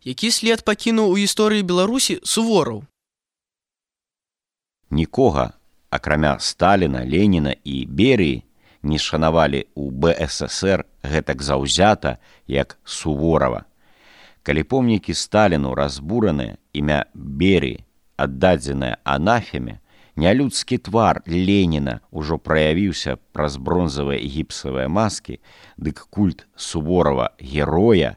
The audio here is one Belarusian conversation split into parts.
Які след пакінуў у гісторыі Беларусі Сувораў? Нікога, акрамя Сталіна, Леніна і Берыі, не шанавалі ў БССР гэтак заўзята, як Суворава. Калі помнікі Сталіну разбураныя, імя Берыі аддадзенае анафеме, нялюдскі твар Леніна ўжо праявіўся праз бронзавыя і гіпсавыя маскі, дык культ Суворава героя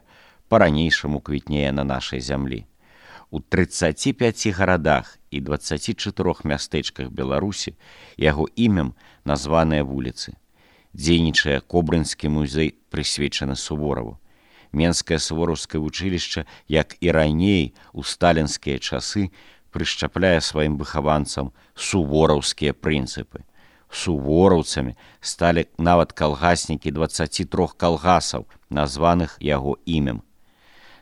па-ранейшаму квітнее на нашай зямлі. У 35 гарадах і 24 мястэчках Беларусі яго імем названыя вуліцы. Дзейнічае Кобрынскі музей, прысвечаны Сувораву. Менскае сувораўскае вучылішча, як і раней у сталінскія часы, прышчапляе сваім выхаванцам сувораўскія прынцыпы. Сувораўцамі сталі нават калгаснікі 23 калгасаў, названых яго імем.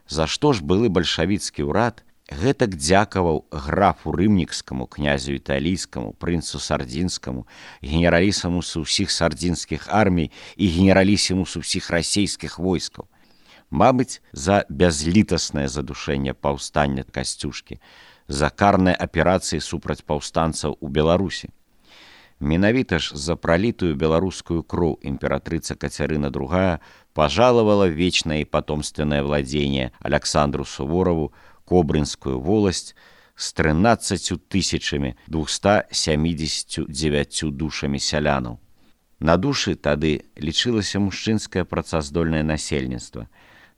За што ж былы бальшавіцкі ўрад гэтак дзякаваў графу рымнікскаму, князю італійскаму, прынцу сардзінскаму, генералісімусу ўсіх сардзінскіх армій і генералісімусу ўсіх расейскіх войскаў? Мабыць, за бязлітаснае задушэнне паўстання Касцюшкі, за карныя аперацыі супраць паўстанцаў у Беларусі. Менавіта ж за пралітую беларускую кроў імператрыца Кацярына II пажалавала вечнае і патомственнае владзенне Аляксандру Сувораву Кобрынскую воласць з 13 279 душамі сялянаў. На душы тады лічылася мужчынскае працаздольнае насельніцтва,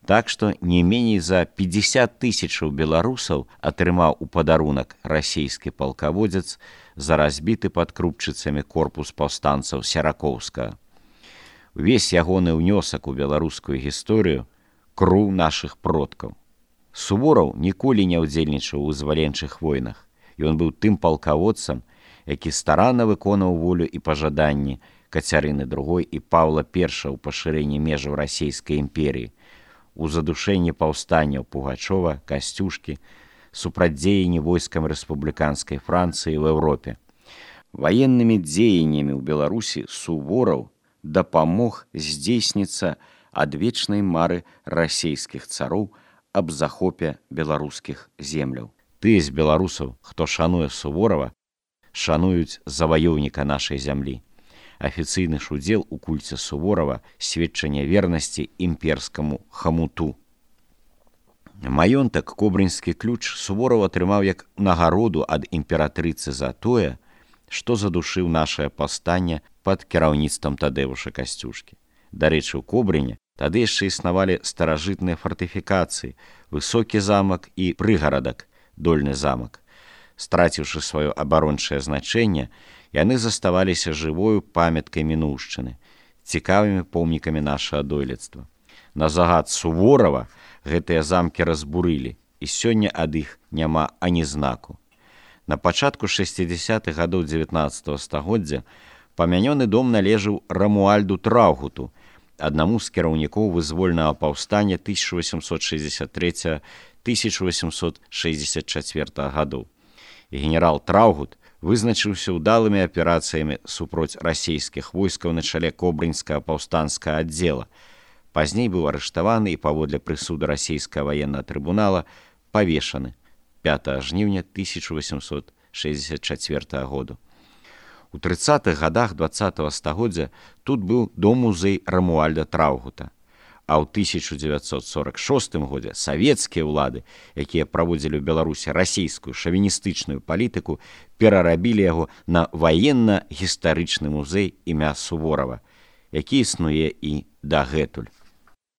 так што не меней за 50 000 беларусаў атрымаў у падарунак расійскі палкаводзец за разбіты пад Крупчыцамі корпус паўстанцаў Серакоўскага. Увесь ягоны ўнёсак у беларускую гісторыю — кроў нашых продкаў. Сувораў ніколі не ўдзельнічаў у вызваленчых войнах. Ён быў тым палкаводцам, які старанна выконаў волю і пажаданні Кацярыны II і Паўла I ў пашырэнні межаў расійскай імперіі, у задушэнні паўстанняў Пугачова, Касцюшкі, супрацьдзеянні войскам рэспубліканскай Францыі ў Еўропе. Ваеннымі дзеяннямі ў Беларусі Сувораў дапамог здзейсніцца адвечнай мары расейскіх цароў аб захопе беларускіх земляў. Тыя з беларусаў, хто шануе Суворава, шануюць заваёўніка нашай зямлі. Афіцыйны ж удзел у кульце Суворава — сведчанне вернасці імперскаму хамуту. Маёнтак Кобрынскі ключ Сувораў атрымаў як нагароду ад імператрыцы за тое, што задушыў нашае паўстанне пад кіраўніцтвам Тадэвуша Касцюшкі. Дарэчы, у Кобрыне тады яшчэ існавалі старажытныя фартыфікацыі, высокі замак і прыгарадак, дольны замак. Страціўшы сваё абарончае значэнне, яны заставаліся жывою памяткай мінуўшчыны, цікавымі помнікамі нашага дойлідства. На загад Суворава гэтыя замкі разбурылі, і сёння ад іх няма ані знаку. На пачатку 60-х гадоў 19 стагоддзя памянёны дом належаў Рамуальду Траўгуту, аднаму з кіраўнікоў вызвольнага паўстання 1863-1864 гадоў. Генерал Траўгут вызначыўся ўдалымі аперацыямі супроць расійскіх войскаў на чале Кобрынскага паўстанцкага аддзела. Пазней быў арыштаваны і паводле прысуду расійскага ваеннага трыбунала павешаны 5 жніўня 1864 году. У 30-х гадах 20-го стагоддзя тут быў дом-музей Рамуальда Траўгута, а ў 1946 годзе савецкія ўлады, якія праводзілі ў Беларусі расійскую шавіністычную палітыку, перарабілі яго на ваенна-гістарычны музей імя Суворава, які існуе і дагэтуль.